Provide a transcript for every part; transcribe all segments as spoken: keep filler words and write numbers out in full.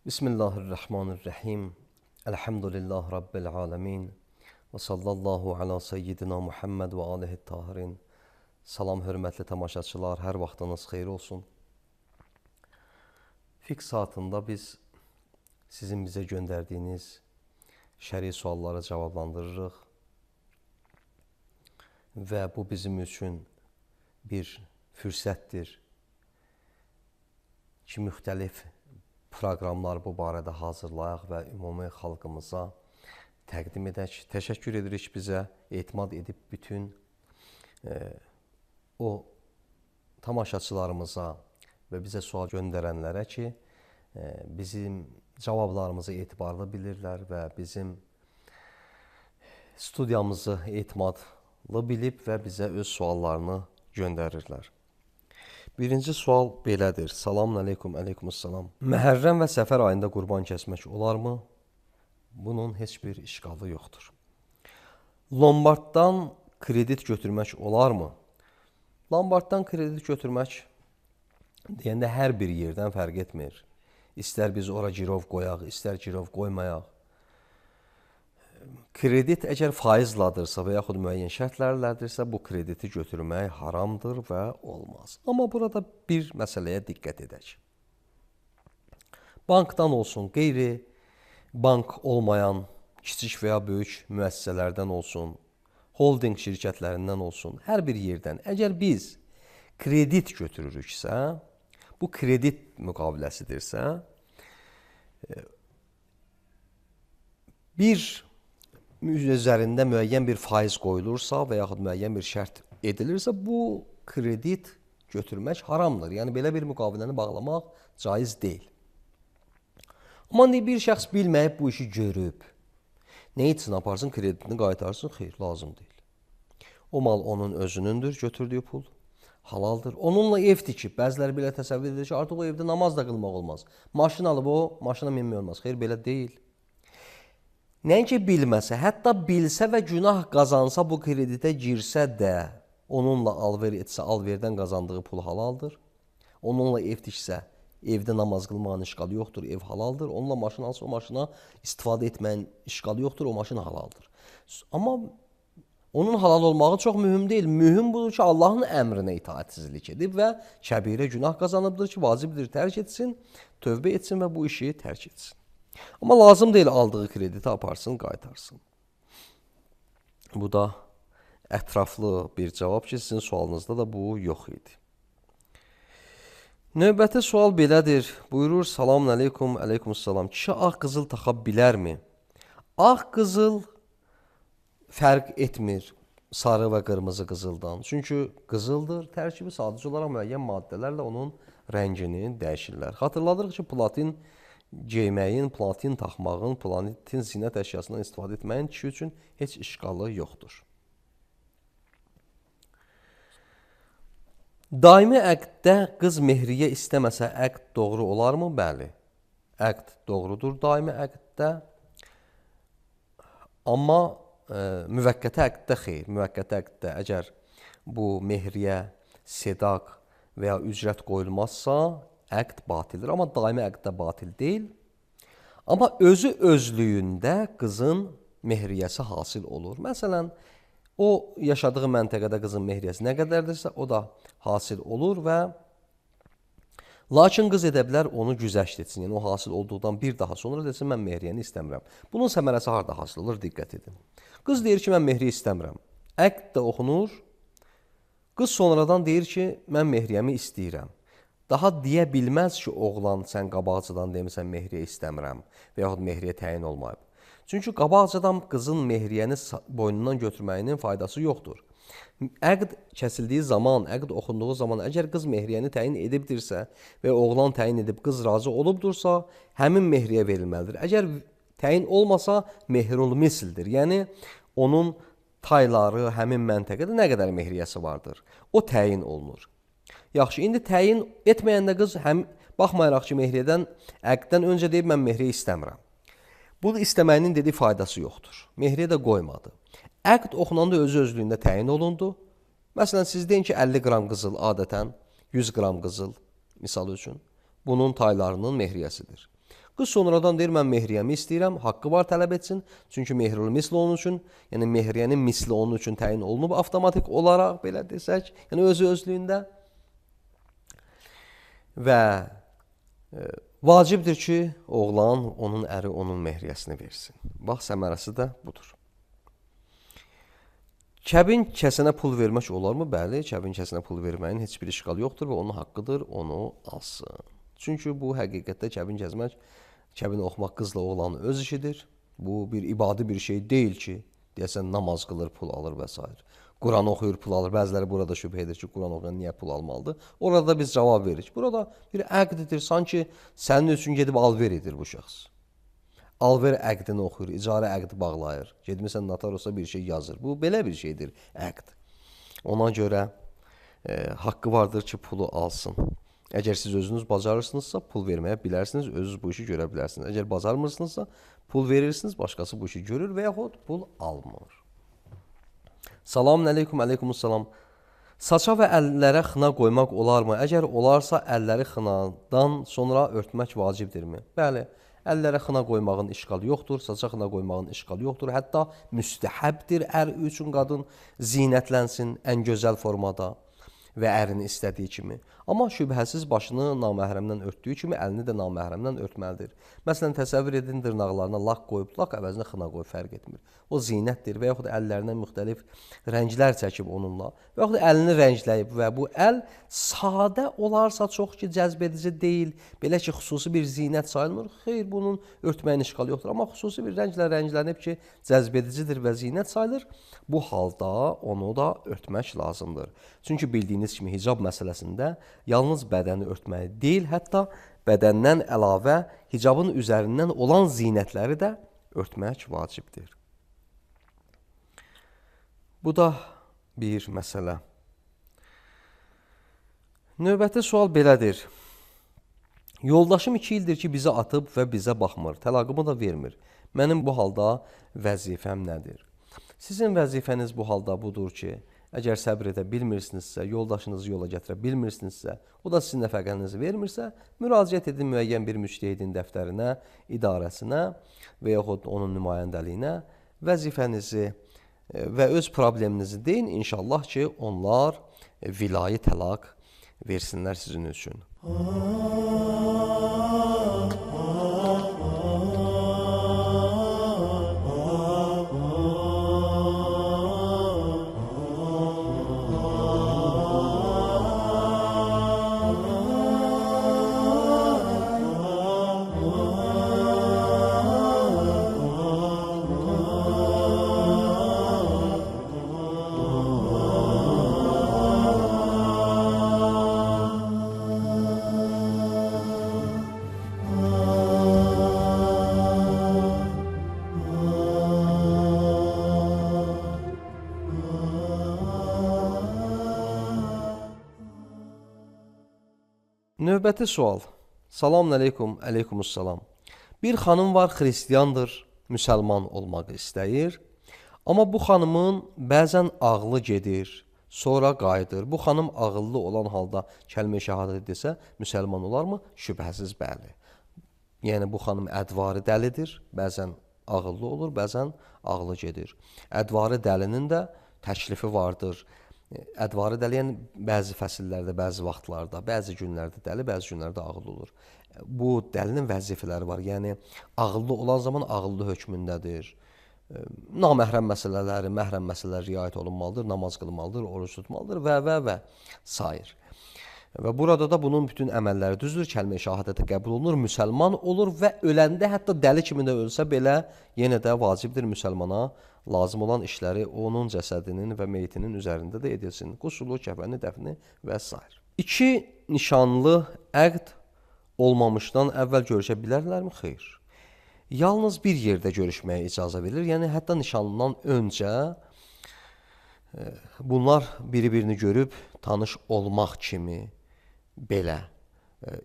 Bismillahirrahmanirrahim. Elhamdülillah Rabbil alemin. Və sallallahu ala seyyidina Muhammed və alihi tahirin. Salam, hörmətli tamaşaçılar, hər vaxtınız xeyir olsun. Fiqh saatında biz sizin bizə göndərdiyiniz şəri sualları cavablandırırıq. Və bu bizim üçün bir fürsətdir ki, müxtəlif proqramlar bu barədə hazırlayaq və ümumi xalqımıza təqdim edək. Təşəkkür edirik bizə etimad edib bütün e, o tamaşaçılarımıza və bizə sual göndərənlərə ki, e, bizim cavablarımızı etibarlı bilirlər və bizim studiyamızı etimadlı bilib və bizə öz suallarını göndərirlər. Birinci sual belədir. Selamun aleyküm, aleykümüssalam. Məhərrəm və səfər ayında qurban kəsmək olarmı? Bunun heç bir işqalı yoxdur. Lombarddan kredit götürmək olarmı? Lombarddan kredit götürmək deyəndə hər bir yerdən fərq etmir. İstər biz ora girov qoyaq, istər girov qoymayaq. Kredit əgər faizladırsa və yaxud müəyyən şərtlərlədirsə, bu krediti götürmək haramdır və olmaz. Amma burada bir məsələyə diqqət edək. Bankdan olsun, qeyri bank olmayan kiçik və ya böyük müəssisələrdən olsun, holding şirkətlərindən olsun, hər bir yerdən əgər biz kredit götürürüksə, bu kredit müqaviləsidirsə, bir üzərində müəyyən bir faiz qoyulursa və yaxud müəyyən bir şərt edilirsə, bu kredit götürmək haramdır. Yəni, belə bir müqaviləni bağlamaq caiz deyil. Amma bir şəxs bilməyib bu işi görüb, nə üçün aparsın, kreditini qaytarsın, xeyr, lazım deyil. O mal onun özünündür, götürdüyü pul halaldır. Onunla ev tikib, bəziləri belə təsəvvür edir ki, artıq o evdə namaz da qılmaq olmaz. Maşın alıb o, maşına minmək olmaz. Xeyr, belə deyil. Nəinki bilməsə, hətta bilsə və günah qazansa, bu kreditə girsə də, onunla alver etsə, alverdən qazandığı pul halaldır. Onunla ev tiksə, evdə namaz qılmağın işqalı yoxdur, ev halaldır. Onunla maşın alsa, o maşına istifadə etməyin işqalı yoxdur, o maşın halaldır. Amma onun halal olmağı çox mühüm deyil. Mühüm budur ki, Allahın əmrinə itaatsizlik edib və kəbirə günah qazanıbdır ki, vacibdir tərk etsin, tövbə etsin və bu işi tərk etsin. Amma lazım deyil aldığı krediti aparsın, qaytarsın. Bu da ətraflı bir cavab ki, sizin sualınızda da bu yox idi. Növbəti sual belədir. Buyurur, salamun aleyküm, aleykümüssalam. Kişi ağ qızıl taxa bilərmi? Ağ qızıl fərq etmir sarı və qırmızı qızıldan. Çünki qızıldır, tərkibi sadəcə olaraq müəyyən maddələrlə onun rəngini dəyişirlər. Xatırladırıq ki, platin geyməyin, platin taxmağın, platin zinət əşyasından istifadə etməyin kişi üçün heç işqalı yoxdur. Daimi əqddə qız mehriyə istəməsə əqd doğru olarmı? Bəli, əqd doğrudur daimi əqddə. Amma e, müvəqqəti əqddə xeyr. Müvəqqəti əqddə əgər bu mehriyə sedaq və ya ücrət qoyulmazsa, əqd batildir. Amma daimi əqd də batil deyil. Amma özü özlüyündə qızın mehriyəsi hasil olur. Məsələn, o yaşadığı məntəqədə qızın mehriyəsi nə qədərdirsə, o da hasil olur və lakin qız edə bilər onu güzəşt etsin. Yəni, o hasil olduqdan bir daha sonra desin, mən mehriyəni istəmirəm. Bunun səmərəsi harada hasil olur? Diqqət edin. Qız deyir ki, mən mehriyə istəmirəm. Əqd də oxunur. Qız sonradan deyir ki, mən mehriyəmi istəyirəm. Daha deyə bilməz ki, oğlan sən qabaqcadan demirsən mehriyə istəmirəm və yaxud mehriyə təyin olmayıb. Çünki qabaqcadan qızın mehriyəni boynundan götürməyinin faydası yoxdur. Əqd kəsildiyi zaman, əqd oxunduğu zaman əgər qız mehriyəni təyin edibdirsə və oğlan təyin edib qız razı olubdursa, həmin mehriyə verilməlidir. Əgər təyin olmasa, mehrul misildir. Yəni, onun tayları həmin məntəqədə nə qədər mehriyəsi vardır? O təyin olunur. Yaxşı, indi təyin etməyəndə qız həm baxmayaraq ki, mehriyədən, əqddən öncə deyib, mən mehriyə istəmirəm. Bunu istəməyinin dediyi faydası yoxdur. Mehriyə də qoymadı. Əqd oxunanda özü özlüyündə təyin olundu. Məsələn, siz deyin ki, əlli qram qızıl adətən yüz qram qızıl, misal üçün, bunun taylarının mehriyəsidir. Qız sonradan deyir, mən mehriyəmi istəyirəm, haqqı var tələb etsin. Çünki mehrul misli onun üçün, yəni mehriyənin misli onun üçün təyin olunub avtomatik olaraq, belə desək, yəni özü özlüyündə. Və e, vacibdir ki, oğlan onun əri onun mehriyəsini versin. Bax, səmərəsi də budur. Kəbin kəsinə pul vermək olarmı? Bəli, kəbin kəsinə pul verməyin heç bir işqal yoxdur və onun haqqıdır, onu alsın. Çünki bu həqiqətdə kəbin kəsmək, kəbin oxumaq qızla oğlanın öz işidir. Bu bir ibadi bir şey deyil ki, deyəsən namaz qılır, pul alır və s. Quran oxuyur, pul alır. Bəziləri burada şübhə edir ki, Quran oxuyan niyə pul almalıdır? Orada biz cavab veririk. Burada bir əqdidir, sanki sənin üçün gedib alver edir bu şəxs. Alver əqdini oxuyur, icarə əqdi bağlayır. Gedmirsən notarosa bir şey yazır. Bu belə bir şeydir, əqd. Ona görə e, haqqı vardır ki, pulu alsın. Əgər siz özünüz bacarırsınızsa, pul verməyə bilərsiniz, özünüz bu işi görə bilərsiniz. Əgər bacarmırsınızsa, pul verirsiniz, başqası bu işi görür və yaxud pul almır. Salamun əleykum, əleykumussalam. Saça və əllərə xına qoymaq olarmı? Əgər olarsa, əlləri xınadan sonra örtmək vacibdirmi? Bəli, əllərə xına qoymağın işqalı yoxdur, saça xına qoymağın işqalı yoxdur. Hətta müstəhəbdir ər üçün qadın zinətlənsin ən gözəl formada və ərini istədiyi kimi. Amma şübhəsiz başını naməhrəmdən örtdüyü kimi əlini də naməhrəmdən örtməlidir. Məsələn, təsəvvür edin, dırnaqlarına lak qoyub, lak əvəzinə xına qoyub, fərq etmir. O zinətdir və yaxud əllərinə müxtəlif rənglər çəkib onunla və yaxud əlini rəngləyib və bu əl sadə olarsa çox ki, cəzb edici deyil, belə ki, xüsusi bir zinət sayılmır. Xeyr, bunun örtməyin işqalı yoxdur. Amma xüsusi bir rənglə rənglənib ki, cəzb edicidir və zinət sayılır, bu halda onu da örtmək lazımdır. Çünki bildiyiniz kimi hicab məsələsində yalnız bədəni örtməyi deyil, hətta bədəndən əlavə hicabın üzərindən olan zinətləri də örtmək vacibdir. Bu da bir məsələ. Növbəti sual belədir. Yoldaşım iki ildir ki, bizi atıb və bizə baxmır, təlaqımı da vermir. Mənim bu halda vəzifəm nədir? Sizin vəzifəniz bu halda budur ki, əgər səbr edə bilmirsinizsə, yoldaşınızı yola gətirə bilmirsinizsə, o da sizin nəfəqənizi vermirsə, müraciət edin müəyyən bir müştəhidin dəftərinə, idarəsinə və yaxud onun nümayəndəliyinə vəzifənizi və öz probleminizi deyin, inşallah ki, onlar vilayı təlaq versinlər sizin üçün. Növbəti sual. Salam əleykum, əleykumussalam. Bir xanım var, xristiyandır, müsəlman olmaq istəyir. Amma bu xanımın bəzən ağlı gedir, sonra qayıdır. Bu xanım ağıllı olan halda kəlmə-i şəhadət desə, müsəlman olarmı? Şübhəsiz bəli. Yəni, bu xanım ədvarı dəlidir, bəzən ağıllı olur, bəzən ağlı gedir. Ədvarı dəlinin də təklifi vardır. Ədvarı dəli, yəni bəzi fəsillərdə, bəzi vaxtlarda, bəzi günlərdə dəli, bəzi günlərdə ağıllı olur. Bu dəlinin vəzifələri var. Yəni, ağıllı olan zaman ağıllı hökmündədir. Naməhrəm məsələləri, məhrəm məsələləri riayət olunmalıdır, namaz qılmalıdır, oruç tutmalıdır və və və sair. Və burada da bunun bütün əməlləri düzdür, kəlmə-i şəhadətə qəbul olunur, müsəlman olur və öləndə hətta dəli kimi də ölsə belə yenə də vacibdir müsəlmana lazım olan işləri onun cəsədinin və meyitinin üzərində də edilsin. Qusulu, kəfəni, dəfni və s. İki nişanlı əqd olmamışdan əvvəl görüşə bilərlərmi? Xeyr. Yalnız bir yerdə görüşməyə icazə verilir. Yəni, hətta nişanlıdan öncə bunlar biri-birini görüb tanış olmaq kimi belə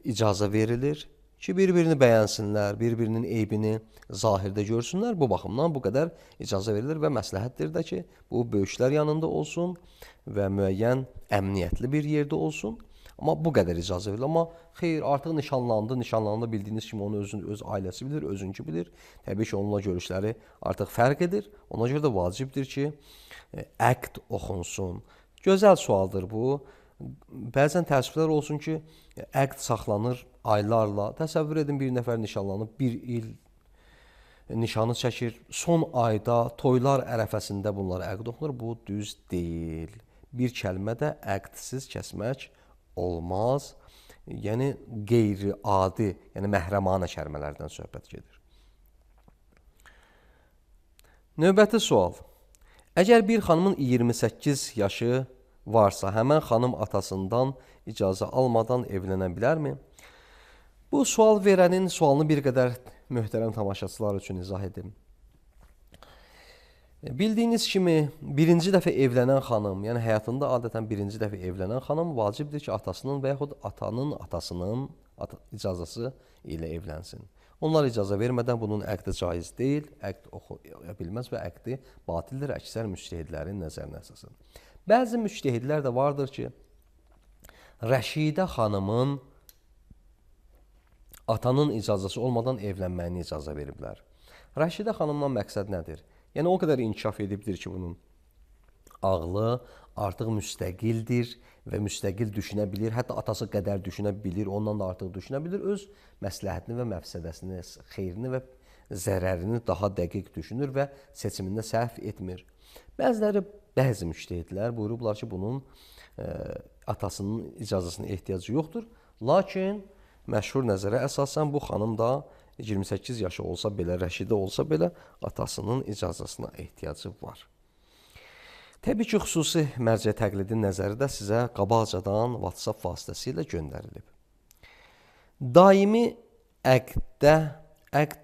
icazə verilir ki, bir-birini bəyənsinlər, bir-birinin eybini zahirdə görsünlər. Bu baxımdan bu qədər icazə verilir və məsləhətdir də ki, bu böyüklər yanında olsun və müəyyən əmniyyətli bir yerdə olsun. Amma bu qədər icazə verilir. Amma xeyr, artıq nişanlandı, nişanlandı bildiyiniz kimi onu özün, öz ailəsi bilir, özünkü bilir. Təbii ki, onunla görüşləri artıq fərq edir. Ona görə də vacibdir ki, əqd oxunsun. Gözəl sualdır bu. Bəzən təəssüflər olsun ki, əqd saxlanır aylarla. Təsəvvür edin, bir nəfər nişanlanıb, bir il nişanı çəkir. Son ayda, toylar ərəfəsində bunlar əqd oxunur. Bu düz deyil. Bir kəlmə də əqdsiz kəsmək olmaz. Yəni, qeyri-adi, yəni məhrəmanə kəlmələrdən söhbət gedir. Növbəti sual. Əgər bir xanımın iyirmi səkkiz yaşı varsa, həmən xanım atasından icazə almadan evlənə bilərmi? Bu sual verənin sualını bir qədər möhtərəm tamaşaçılar üçün izah edim. Bildiyiniz kimi, birinci dəfə evlənən xanım, yəni həyatında adətən birinci dəfə evlənən xanım vacibdir ki, atasının və yaxud atanın atasının icazəsi ilə evlənsin. Onlar icazə vermədən bunun əqdi caiz deyil, əqd oxuya bilməz və əqdi batildir əksər müctəhidlərin nəzərinə əsasən. Bəzi müctəhidlər də vardır ki, Rəşidə xanımın atanın icazəsi olmadan evlənməyini icazə veriblər. Rəşidə xanımdan məqsəd nədir? Yəni, o qədər inkişaf edibdir ki, bunun ağlı artıq müstəqildir və müstəqil düşünə bilir. Hətta atası qədər düşünə bilir, ondan da artıq düşünə bilir. Öz məsləhətini və məfsədəsini, xeyrini və zərərini daha dəqiq düşünür və seçimində səhv etmir. Bəziləri, bəzi müştəhidlər buyurublar ki, bunun e, atasının icazəsinin ehtiyacı yoxdur. Lakin məşhur nəzərə əsasən bu xanım da iyirmi səkkiz yaşı olsa belə, Rəşidə olsa belə atasının icazəsinə ehtiyacı var. Təbii ki, xüsusi mərcə təqlidin nəzəri də sizə qabaqcadan WhatsApp vasitəsilə göndərilib. Daimi əqddə, əqd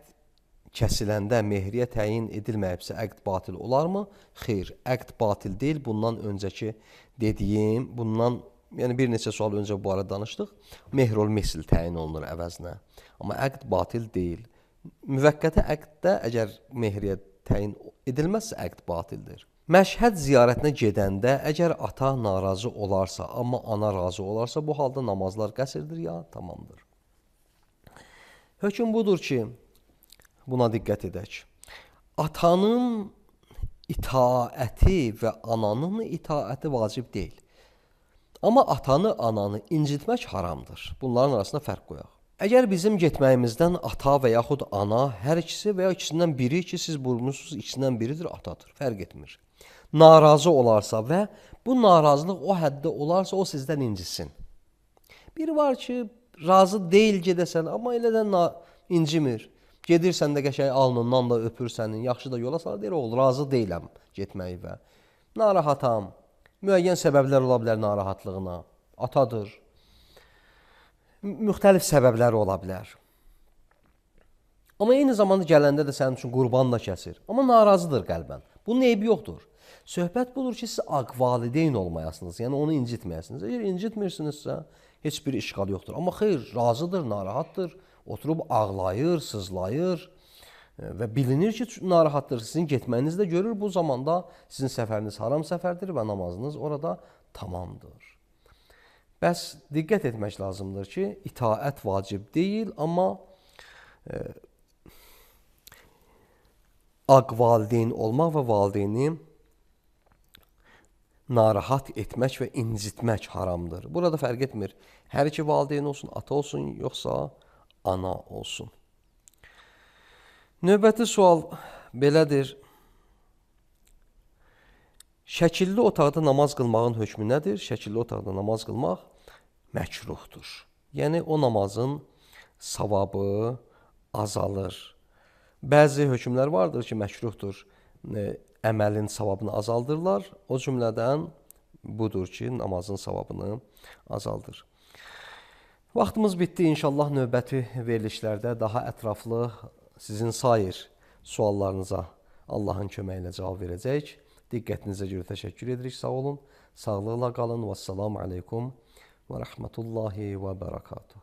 kəsiləndə mehriyə təyin edilməyibsə əqd batil olarmı? Xeyr, əqd batil deyil. Bundan öncəki dediyim, bundan yəni bir neçə sual öncə bu arada danışdıq. Mehrul misil təyin olunur əvəzinə. Amma əqd batil deyil. Müvəqqəti əqddə əgər mehriyə təyin edilməzsə əqd batildir. Məşhəd ziyarətinə gedəndə əgər ata narazı olarsa, amma ana razı olarsa, bu halda namazlar qəsrdir ya tamamdır. Hökm budur ki, buna diqqət edək. Atanın itaəti və ananın itaəti vacib deyil. Amma atanı, ananı incitmək haramdır. Bunların arasında fərq qoyaq. Əgər bizim getməyimizdən ata və yaxud ana, hər ikisi və ya ikisindən biri ki, siz buyurmuşsunuz, ikisindən biridir, atadır. Fərq etmir. Narazı olarsa və bu narazılıq o həddə olarsa, o sizdən incisin. Biri var ki, razı deyil gedəsən, amma elə də incimir. Gedirsən də qəşəng alnından da öpür sənin, yaxşı da yola salır, deyir, oğul, razı deyiləm getməyi və narahatam. Müəyyən səbəblər ola bilər narahatlığına, atadır. Müxtəlif səbəbləri ola bilər. Amma eyni zamanda gələndə də sənin üçün qurban da kəsir. Amma narazıdır qəlbən. Bunun eybi yoxdur. Söhbət budur ki, siz aqvalideyn olmayasınız, yəni onu incitməyəsiniz. Əgər incitmirsinizsə, heç bir işqal yoxdur. Amma xeyr, razıdır, narahatdır, oturub ağlayır, sızlayır və bilinir ki, narahatdır. Sizin getməyiniz də görür, bu zamanda sizin səfəriniz haram səfərdir və namazınız orada tamamdır. Bəs diqqət etmək lazımdır ki, itaət vacib deyil, amma e, aq valideyn olmaq və valideyni narahat etmək və incitmək haramdır. Burada fərq etmir. Hər iki valideyn olsun, ata olsun, yoxsa ana olsun. Növbəti sual belədir. Şəkilli otaqda namaz qılmağın hökmü nədir? Şəkilli otaqda namaz qılmaq məkruhdur. Yəni, o namazın savabı azalır. Bəzi hökmlər vardır ki, məkruhdur. Əməlin savabını azaldırlar. O cümlədən budur ki, namazın savabını azaldır. Vaxtımız bitdi. İnşallah növbəti verilişlərdə daha ətraflı sizin sair suallarınıza Allahın köməyi ilə cavab verəcəyik. Diqqətinizə görə təşəkkür edirik. Sağ olun. Sağlıqla qalın. Vəssalamu aleykum və rəhmətullahi və bərəkatuhu.